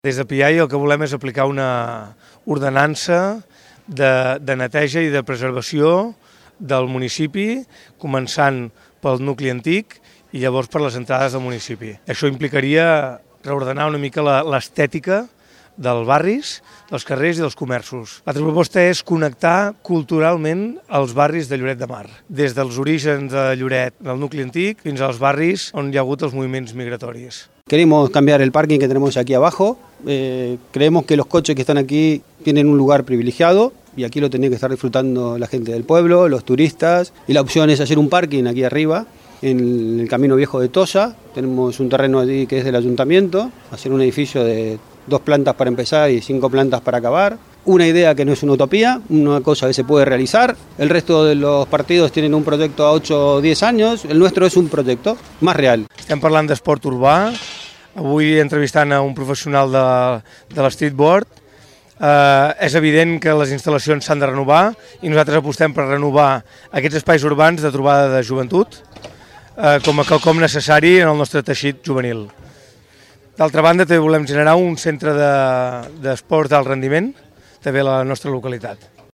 Des de PIAI el que volem és aplicar una ordenança de neteja i de preservació del municipi, començant pel nucli antic i llavors per les entrades del municipi. Això implicaria reordenar una mica l'estètica dels barris, dels carrers i dels comerços. L'altra proposta és connectar culturalment els barris de Lloret de Mar, des dels orígens de Lloret, del nucli antic, fins als barris on hi ha hagut els moviments migratoris. Queremos cambiar el parking que tenemos aquí abajo. Creemos que los coches que están aquí tienen un lugar privilegiado y aquí lo tiene que estar disfrutando la gente del pueblo, los turistas. Y la opción es hacer un parking aquí arriba, en el Camino Viejo de Toya. Tenemos un terreno allí que es del ayuntamiento, hacer un edificio de 2 plantas para empezar y 5 plantas para acabar. Una idea que no es una utopía, una cosa que se puede realizar. El resto de los partidos tienen un proyecto a 8 o 10 años, el nuestro es un proyecto más real. Estem parlant d'esport urbà, avui entrevistant a un professional de l'streetboard. És evident que les instal·lacions s'han de renovar i nosaltres apostem per renovar aquests espais urbans de trobada de joventut com a quelcom necessari en el nostre teixit juvenil. D'altra banda, també volem generar un centre d'esport d'alt rendiment també a la nostra localitat.